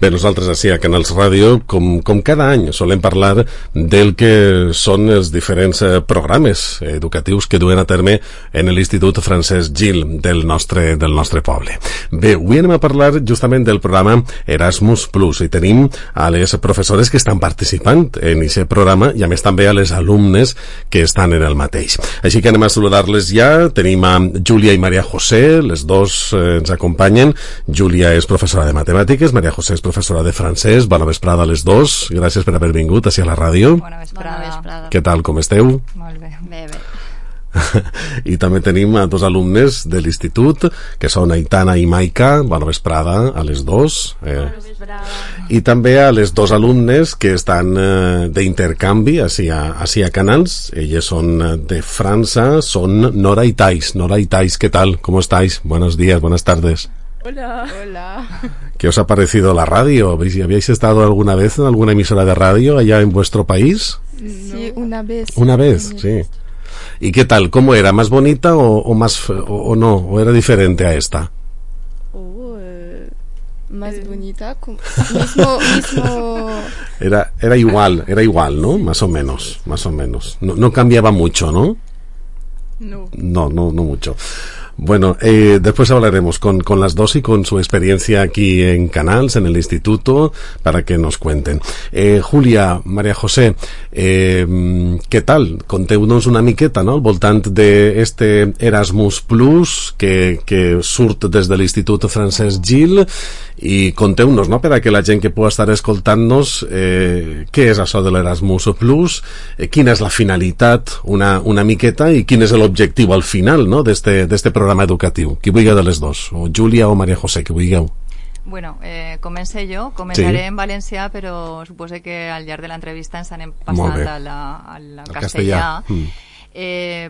Bé, nosaltres així a Canals Ràdio, com cada any, solem parlar del que són els diferents programes educatius que duen a terme en l'Institut Francesc Gil del nostre poble. Bé, avui anem a parlar justament del programa Erasmus Plus i tenim a les professores que estan participant en aquest programa i a més també a les alumnes que estan en el mateix. Així que anem a saludar-les ja. Tenim a Júlia i Maria José, les dos ens acompanyen. Júlia és professora de matemàtiques, Maria José és professora de francès. Bona vesprada a les dos. Gràcies per haver vingut així a la ràdio. Bona vesprada. Què tal, com esteu? Molt bé. Bé. I també tenim a dos alumnes de l'institut, que són Aitana i Maika. Bona vesprada a les dos. Bona vesprada. I també a les dos alumnes que estan d'intercanvi així a Canals. Elles són de França, són Nora y Thais. Nora y Thais, ¿qué tal? ¿Cómo estáis? Buenos días, buenas tardes. Hola. ¿Qué os ha parecido la radio? ¿Habéis estado alguna vez en alguna emisora de radio allá en vuestro país? Sí, una vez. Una vez, sí. ¿Y qué tal? ¿Cómo era? ¿Más bonita o más o no? ¿O era diferente a esta? Más bonita, mismo. Era igual, ¿no? Más o menos. No cambiaba mucho, ¿no? No mucho. Bueno, después hablaremos con las dos y con su experiencia aquí en Canals, en el instituto, para que nos cuenten. Júlia, Maria José, què tal? Conteu-nos una miqueta, no?, al voltant d'este Erasmus Plus que surt des de l'Institut Francesc Gil, i conteu-nos, no?, per a que la gent que pugui estar escoltant-nos, què és això de l'Erasmus Plus, quina és la finalitat una miqueta i quin és l'objectiu al final, no?, d'este programa educatiu. Qui vulgui de les dos, o Júlia o Maria José, que vulgueu. Bueno, començaré en valencià, però suposo que al llarg de l'entrevista ens anem passant al castellà.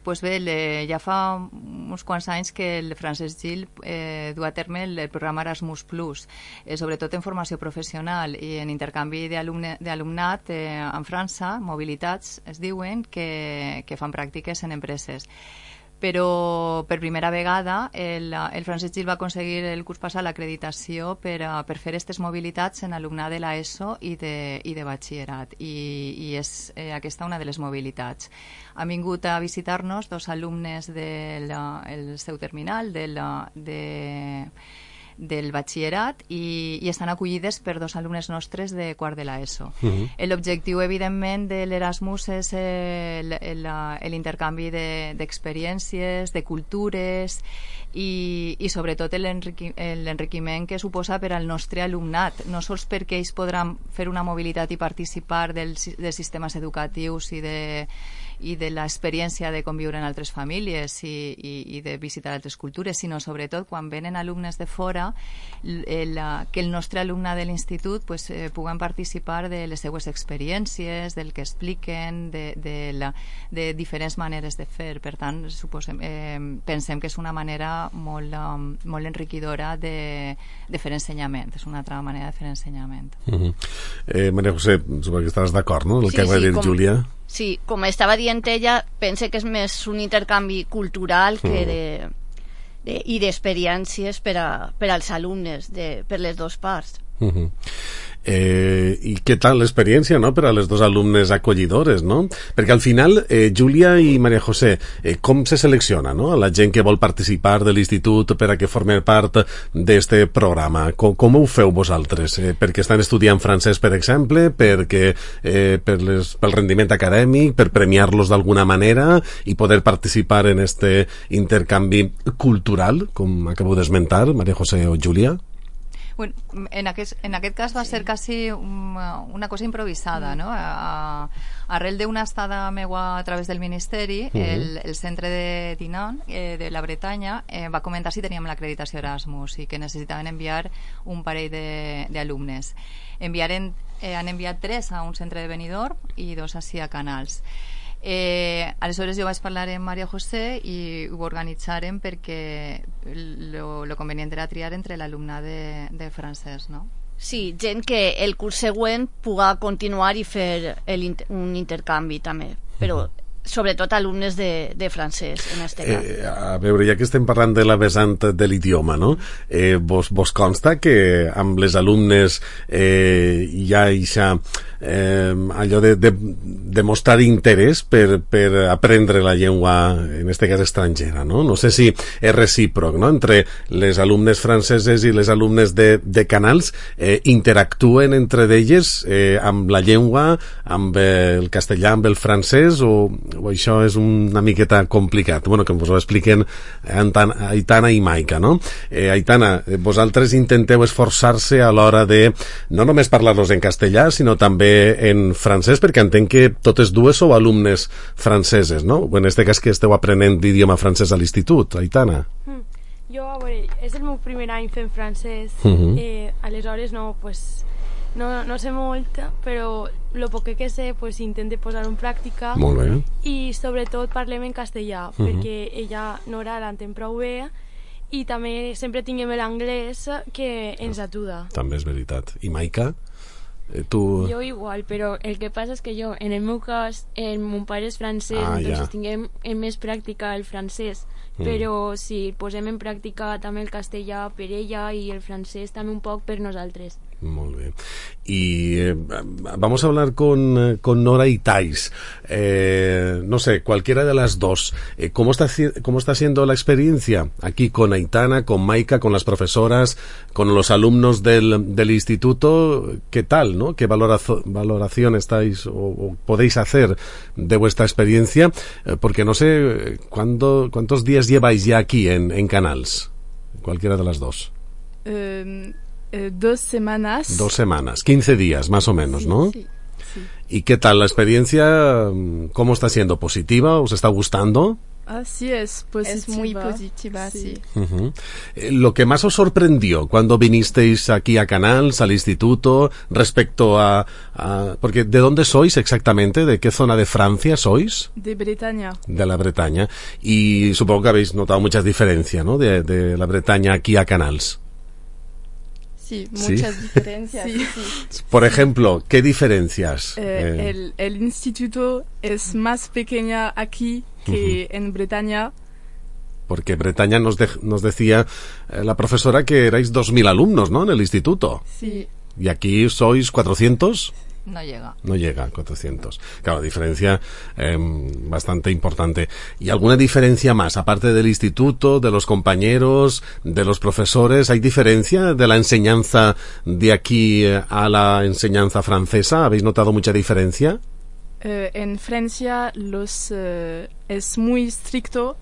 Pues bé, ja fa uns quants anys que el Francesc Gil du a terme el programa Erasmus Plus, sobretot en formació professional i en intercanvi d'alumnat en França, mobilitats es diuen, que fan pràctiques en empreses. Però per primera vegada el Francesc Gil va aconseguir el curs passat l'acreditació per fer aquestes mobilitats en alumnat de l'ESO i de batxillerat, i és aquesta una de les mobilitats. Han vingut a visitar-nos dos alumnes del seu terminal del batxillerat i estan acollides per dos alumnes nostres de quart de l'ESO. L'objectiu, evidentment, de l'Erasmus és l'intercanvi d'experiències, de cultures i sobretot l'enriquiment que suposa per al nostre alumnat, no sols perquè ells podran fer una mobilitat i participar dels sistemes educatius i de l'experiència de conviure en altres famílies i de visitar altres cultures, sinó sobretot quan venen alumnes de fora, que el nostre alumne de l'institut puguen participar de les seues experiències, del que expliquen, de diferents maneres de fer. Per tant, pensem que és una manera molt enriquidora de fer ensenyament, és una altra manera de fer ensenyament. Maria José, suposo que estàs d'acord, no?, el que va dir Júlia. Sí, com estava dient ella, pense que és més un intercanvi cultural i d'experiències per als alumnes, per les dues parts. I què tal l'experiència, no?, per a les dos alumnes acollidores, no? Perquè al final, Júlia i Maria José, com se selecciona, no?, a la gent que vol participar de l'institut per a que formi part d'este programa? Com ho feu vosaltres? Perquè estan estudiant francès, per exemple, pel rendiment acadèmic, per premiar-los d'alguna manera i poder participar en este intercanvi cultural, com acabo d'esmentar, Maria José o Júlia? Bueno, en aquest cas va ser quasi una cosa improvisada, no? Arrel d'una estada meua a través del Ministeri, el centre de Dinan, de la Bretanya, va comentar si teníem l'acreditació Erasmus i que necessitaven enviar un parell d'alumnes. Han enviat 3 a un centre de Benidorm i 2 així a Canals. Aleshores jo vaig parlar amb Maria José i ho organitzarem perquè lo convenient era triar entre l'alumnat de francès, no? Sí, gent que el curs següent puga continuar i fer un intercanvi també, però sobretot alumnes de francès, en este cas. A veure, ja que estem parlant de la vessant de l'idioma, no? Vos consta que amb les alumnes hi ha allò de mostrar interès per aprendre la llengua, en este cas estrangera, no? No sé si és recíproc, no? Entre les alumnes franceses i les alumnes de Canals interactuen entre d'elles amb la llengua, amb el castellà, amb el francès, o això és una miqueta complicat? Bueno, que us ho expliquen Aitana i Maika, no? Aitana, vosaltres intenteu esforçar-se a l'hora de no només parlar-los en castellà, sinó també en francès, perquè entenc que totes dues sou alumnes franceses, no? En este cas que esteu aprenent l'idioma francès a l'institut, Aitana. Jo, a veure, és el meu primer any fent francès, aleshores no sé molt, però el poc que sé intento posar en pràctica. Molt bé. I sobretot parlem en castellà, perquè ella, Nora, l'entén prou bé, i també sempre tinguem l'anglès que ens ajuda. També és veritat. I Maika? Tu... Jo igual, però el que passa és que jo, en el meu cas, mon pare és francès, entonces tinguem més pràctica el francès, però si posem en pràctica també el castellà per ella i el francès també un poc per nosaltres. Muy bien. Y vamos a hablar con Nora y Thais. No sé, cualquiera de las dos. ¿Cómo está siendo la experiencia aquí con Aitana, con Maika, con las profesoras, con los alumnos del instituto? ¿Qué tal, no? ¿Qué valoración estáis o podéis hacer de vuestra experiencia? Porque no sé, ¿cuántos días lleváis ya aquí en Canals? Cualquiera de las dos. 2 semanas. 2 semanas, 15 días más o menos, sí, ¿no? Sí. ¿Y qué tal la experiencia? ¿Cómo está siendo? ¿Positiva? ¿Os está gustando? Sí, es positiva. Es muy positiva, sí. Lo que más os sorprendió cuando vinisteis aquí a Canals, al instituto, respecto a... Porque ¿de dónde sois exactamente? ¿De qué zona de Francia sois? De Bretaña. De la Bretaña. Y supongo que habéis notado muchas diferencias, ¿no? De la Bretaña aquí a Canals. Sí, muchas diferencias. Sí. Por ejemplo, ¿qué diferencias? El instituto es más pequeña aquí que en Bretaña. Porque Bretaña nos decía la profesora que erais 2.000 alumnos, ¿no? En el instituto. Sí. ¿Y aquí sois 400? No llega. No llega a 400. Claro, diferencia bastante importante. ¿Y alguna diferencia más? Aparte del instituto, de los compañeros, de los profesores, ¿hay diferencia de la enseñanza de aquí a la enseñanza francesa? ¿Habéis notado mucha diferencia? En Francia es muy estricto.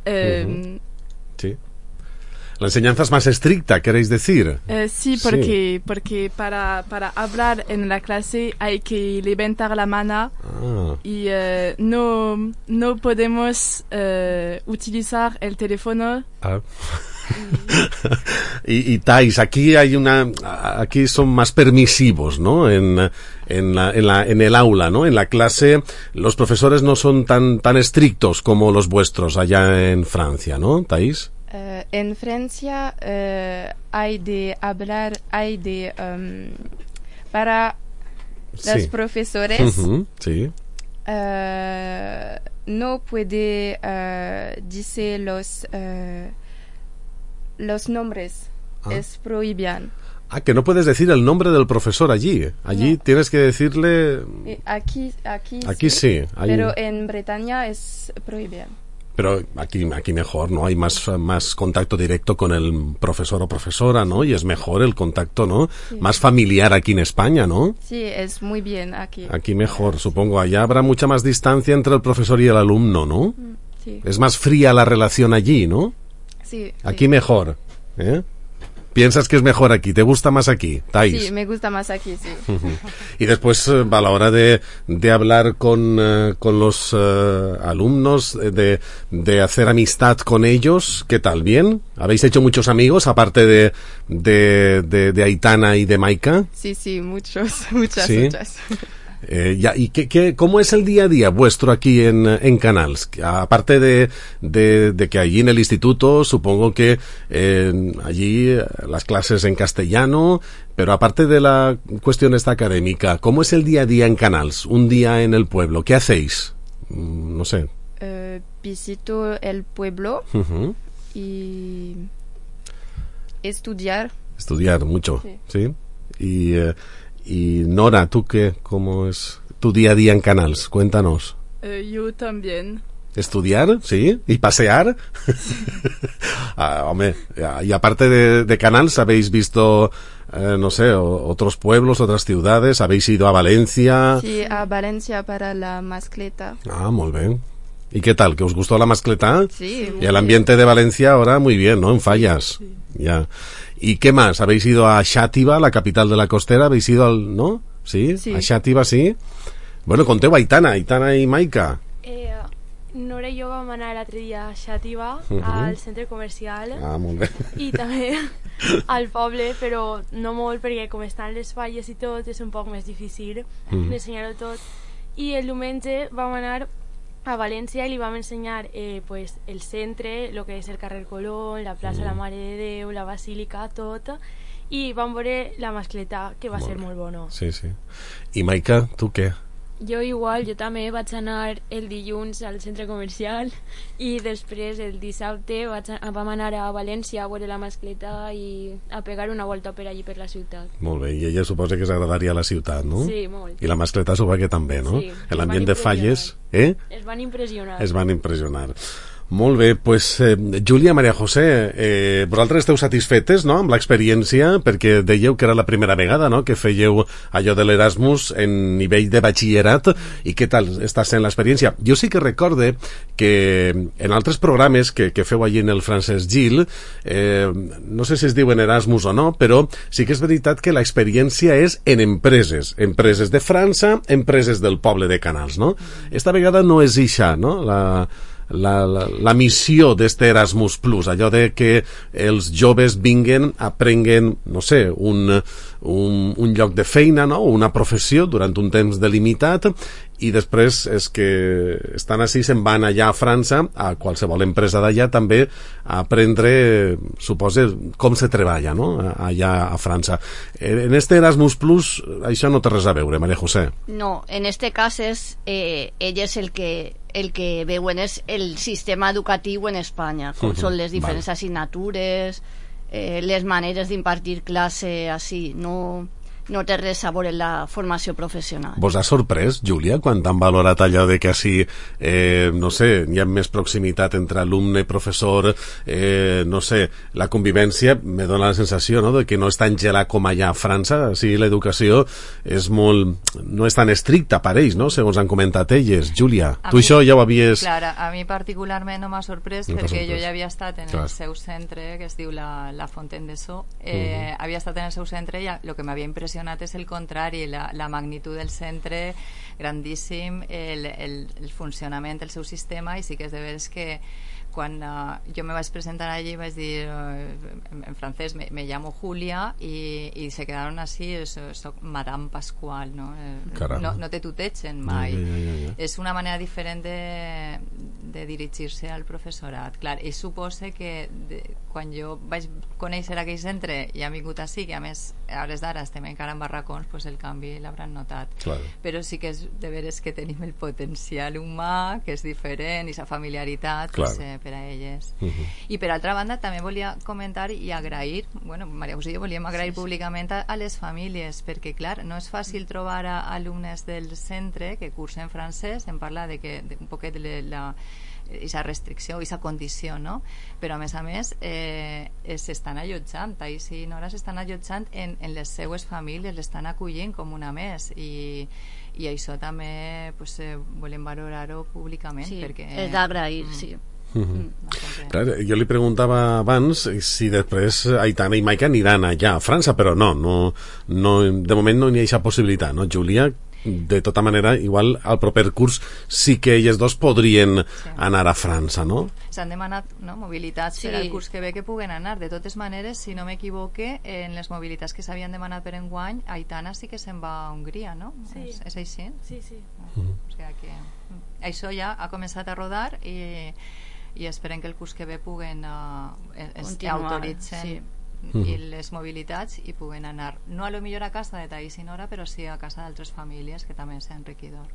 Sí. La enseñanza es más estricta, ¿queréis decir? Sí, porque para hablar en la clase hay que levantar la mano y no podemos utilizar el teléfono. Y Thais, aquí aquí son más permisivos, ¿no? En el aula, ¿no? En la clase los profesores no son tan estrictos como los vuestros allá en Francia, ¿no, Thais? En Francia hay de hablar, para los profesores sí. No puede decir los nombres, es prohibido. Que no puedes decir el nombre del profesor allí. Allí no. Tienes que decirle... Aquí sí. Pero en Bretaña es prohibido. Pero aquí mejor, ¿no? Hay más contacto directo con el profesor o profesora, ¿no? Y es mejor el contacto, ¿no? Sí. Más familiar aquí en España, ¿no? Sí, es muy bien aquí. Aquí mejor, supongo. Allá habrá mucha más distancia entre el profesor y el alumno, ¿no? Sí. Es más fría la relación allí, ¿no? Sí. Aquí mejor, ¿eh? ¿Piensas que es mejor aquí? ¿Te gusta más aquí, Thais? Sí, me gusta más aquí, sí. Y después, a la hora de hablar con los alumnos, de hacer amistad con ellos, ¿qué tal? ¿Bien? ¿Habéis hecho muchos amigos, aparte de Aitana y de Maika? Sí, muchas. ¿Y cómo es el día a día vuestro aquí en Canals? Aparte de que allí en el instituto, supongo que allí las clases en castellano, pero aparte de la cuestión esta académica, ¿cómo es el día a día en Canals? Un día en el pueblo, ¿qué hacéis? no sé. Visito el pueblo y estudiar. Estudiar mucho, ¿sí? Y Nora, ¿tú qué? ¿Cómo es tu día a día en Canals? Cuéntanos. Yo también. ¿Estudiar? ¿Sí? ¿Y pasear? Hombre, y aparte de Canals, ¿habéis visto, no sé, otros pueblos, otras ciudades? ¿Habéis ido a Valencia? Sí, a Valencia para la mascleta. Muy bien. ¿Y qué tal? ¿Que os gustó la mascleta? Sí. Y el ambiente de Valencia ahora muy bien, ¿no? En Fallas. Sí. Ya. ¿Y qué más? ¿Habéis ido a Xàtiva, la capital de la costera? ¿Habéis ido al, no? Sí. A Xàtiva, sí. Bueno, conteu Aitana i Maika. Nora i jo vam anar l'altre dia a Xàtiva, al centre comercial. Molt bé. I també al poble, però no molt, perquè com estan les falles i tot, és un poc més difícil d'ensenyar-ho tot. I el diumenge vam anar a València i li vam ensenyar pues, el centre, el que és el carrer Colón, la plaça La Mare de Déu, la basílica, tot, i vam veure la mascleta, que va ser molt bona. Sí, sí. I Maika, tu què? Jo igual, jo també vaig anar el dilluns al centre comercial i després el dissabte vam anar a València a veure la mascleta i a pegar una volta per allí per la ciutat. Molt bé, i ella suposa que s'agradaria la ciutat, no? Sí, molt. I la mascleta suposa que també, no? Sí. L'ambient de Falles, Es van impressionar. Es van impressionar. Molt bé, pues, Júlia, Maria José, vosaltres esteu satisfetes, no?, amb l'experiència, perquè dèieu que era la primera vegada, no?, que fèieu allò de l'Erasmus en nivell de batxillerat, i què tal està sent l'experiència? Jo sí que recorde que en altres programes que feu allí en el Francesc Gil, no sé si es diuen Erasmus o no, però sí que és veritat que l'experiència és en empreses de França, empreses del poble de Canals, no? Esta vegada no és ixa, no?, la missió d'este Erasmus Plus, allò de que els joves vinguen, aprenguen, no sé, un lloc de feina, no?, una professió durant un temps delimitat, i després és que estan així, se'n van allà a França, a qualsevol empresa d'allà també, a aprendre, suposa, com se treballa, no?, allà a França. En este Erasmus Plus això no té res a veure, Maria José. No, en este cas és ell és el que veuen és el sistema educatiu en Espanya, com són les diferents assignatures, les maneres d'impartir classe, així, no té res a veure la formació professional. Vos ha sorprès, Júlia, quan t'han valorat allò de que així, no sé, hi ha més proximitat entre alumne, professor, no sé, la convivència, me dona la sensació, no?, de que no és tan gelat com allà a França, així l'educació és molt, no és tan estricta per ells, no?, segons han comentat elles. Júlia, tu això ja ho havies... Clar, a mi particularment no m'ha sorprès, perquè jo ja havia estat en el seu centre, que es diu la Fontaine de So, havia estat en el seu centre i el que m'havia impressionat és el contrari, la magnitud del centre, grandíssim, el funcionament del seu sistema, i sí que és de veres que quan jo me vaig presentar allí vaig dir en francès me llamo Julia i se quedaron así, soc Madame Pascual, no? No te tutegen mai. És una manera diferent de dirigir-se al professorat. Clar, i suposa que quan jo vaig conèixer aquell centre i han vingut així, que a més a hores d'ara estem encara en barracons, pues el canvi l'hauran notat. Però sí que és de veres que tenim el potencial humà, que és diferent, i la familiaritat, pues, per a elles. I per altra banda també volia comentar i agrair, bueno, Maria José i jo volíem agrair públicament a les famílies, perquè clar, no és fàcil trobar alumnes del centre que cursen francès, en parla de que un poquet de aquesta restricció, aquesta condició, no? Però a més s'estan allotjant, i Nora s'estan allotjant en les seues famílies, l'estan acollint com una més, i això també pues, volem valorar-ho públicament. Sí, perquè és d'agrair, sí. Clar, jo li preguntava abans si després Aitana i Maika aniran allà a França, però no, de moment no hi ha aquesta possibilitat, no, Júlia? De tota manera, igual al proper curs sí que elles dos podrien anar a França, no? S'han demanat mobilitats per al curs que ve que puguen anar. De totes maneres, si no m'equivoque, en les mobilitats que s'havien demanat per enguany, Aitana sí que se'n va a Hongria, no? Sí. És així? Sí. O sigui que això ja ha començat a rodar i esperem que el curs que ve puguen autoritzen i les mobilitats i puguen anar, no a lo millor a casa de Taís i Nora, però sí a casa d'altres famílies, que també és enriquidor.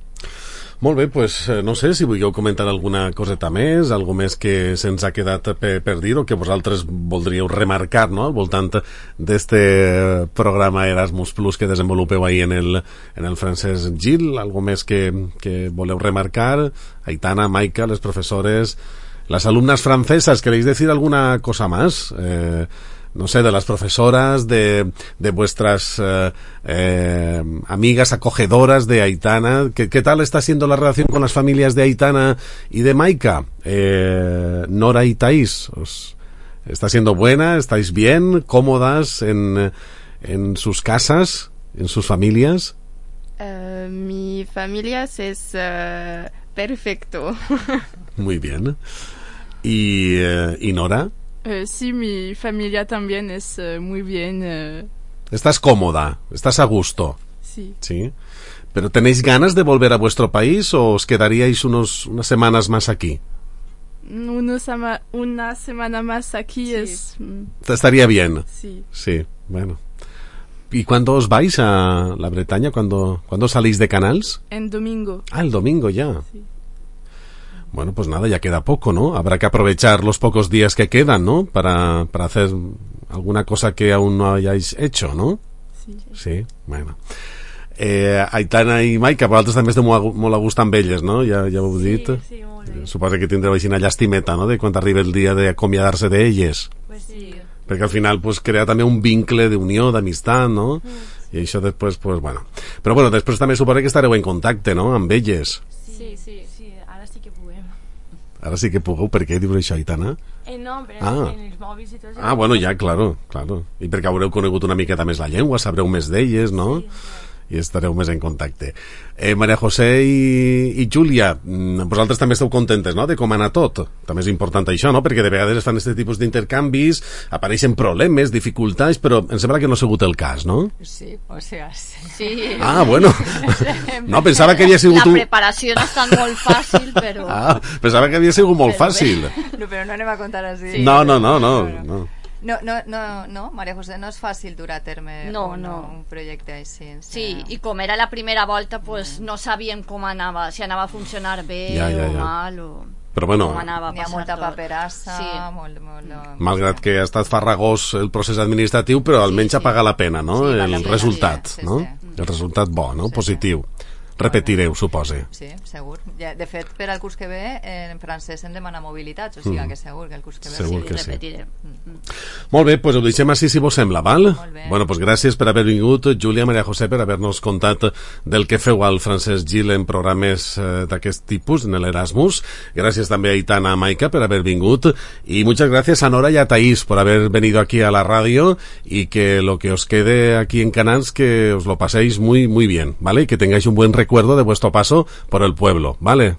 Molt bé, pues no sé si vulgueu comentar alguna coseta més, algo més que se'ns ha quedat per dir o que vosaltres voldríeu remarcar, no?, al voltant d'este programa Erasmus Plus que desenvolupeu ahí en el Francesc Gil, algo més que voleu remarcar. Aitana, Maika, les profesores, las alumnas francesas, ¿queréis decir alguna cosa más? No sé, de las profesoras, de vuestras amigas acogedoras de Aitana. ¿Qué tal está siendo la relación con las familias de Aitana y de Maika? Nora y Thais, ¿está siendo buena? ¿Estáis bien? ¿Cómodas en sus casas? ¿En sus familias? Mi familia es perfecto. Muy bien. ¿Y Nora? Sí, mi familia también es muy bien. ¿Estás cómoda? ¿Estás a gusto? Sí. ¿Sí? ¿Pero tenéis ganas de volver a vuestro país o os quedaríais unas semanas más aquí? Una semana más aquí sí. Estaría bien. Sí. Sí, bueno. ¿Y cuándo os vais a la Bretaña? ¿Cuándo salís de Canals? En domingo. Ah, el domingo ya. Sí. Bueno, pues nada, ya queda poco, ¿no? Habrá que aprovechar los pocos días que quedan, ¿no? Para hacer alguna cosa que aún no hayáis hecho, ¿no? Sí. Sí, bueno. Aitana i Maika, vosaltres també esteu molt a gust amb elles, no? Ja ho heu dit. Sí, molt bé. Suposo que tindreu així una llastimeta, no?, de quan arriba el dia d'acomiadar-se d'elles. Pues sí. Perquè al final pues crea també un vincle d'unió, d'amistat, no? I això després, pues bueno. Però bueno, després també suposo que estareu en contacte, no?, amb elles. Sí, ara sí que puguem. Ara sí que pugueu, per què diu això, Aitana? No, però en els mòbils i tot. Ah, bueno, ja, claro. I perquè haureu conegut una miqueta més la llengua, sabreu més d'elles, no? Sí. I estareu més en contacte. Maria José i Júlia, vosaltres també esteu contentes, no?, de com ha anat tot. També és important això, no?, perquè de vegades es fan aquest tipus d'intercanvis, apareixen problemes, dificultats, però em sembla que no ha sigut el cas, no? Sí, o sea, sí. Ah, bueno. No, pensava que havia sigut... La preparació no és tan molt fàcil, però... Ah, pensava que havia sigut molt fàcil. No, però no anem a contar així. No. No, Maria José, no és fàcil dur a terme un projecte així. Sí, i com era la primera volta, pues no sabíem com anava, si anava a funcionar bé o mal, o però bueno, com anava a passar. Hi ha molta paperassa, malgrat que ha estat farragós el procés administratiu, però almenys ha pagat la pena, no?, el resultat, no? El resultat bo, no?, positiu. Repetireu, supose. Sí, segur. De fet, per al curs que ve, en francès hem demanat mobilitats, o sigui que segur que el curs que ve segur que repetirem. Molt bé, doncs ho deixem així si vos sembla, val? Bueno, doncs gràcies per haver vingut, Júlia, Maria José, per haver-nos contat del que feu al Francesc Gil en programes d'aquest tipus, en l'Erasmus. Gràcies també a Aitana, a Maika, per haver vingut, y muchas gracias a Nora y a Thais por haber venido aquí a la radio, y que lo que os quede aquí en Canals, que os lo paséis muy, muy bien, ¿vale? Y que tengáis un buen recuerdo de vuestro paso por el pueblo, ¿vale?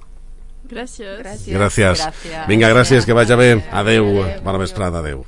Gracias. Vinga, gràcies, que vagi bé. Adeu, bona vesprada, adeu.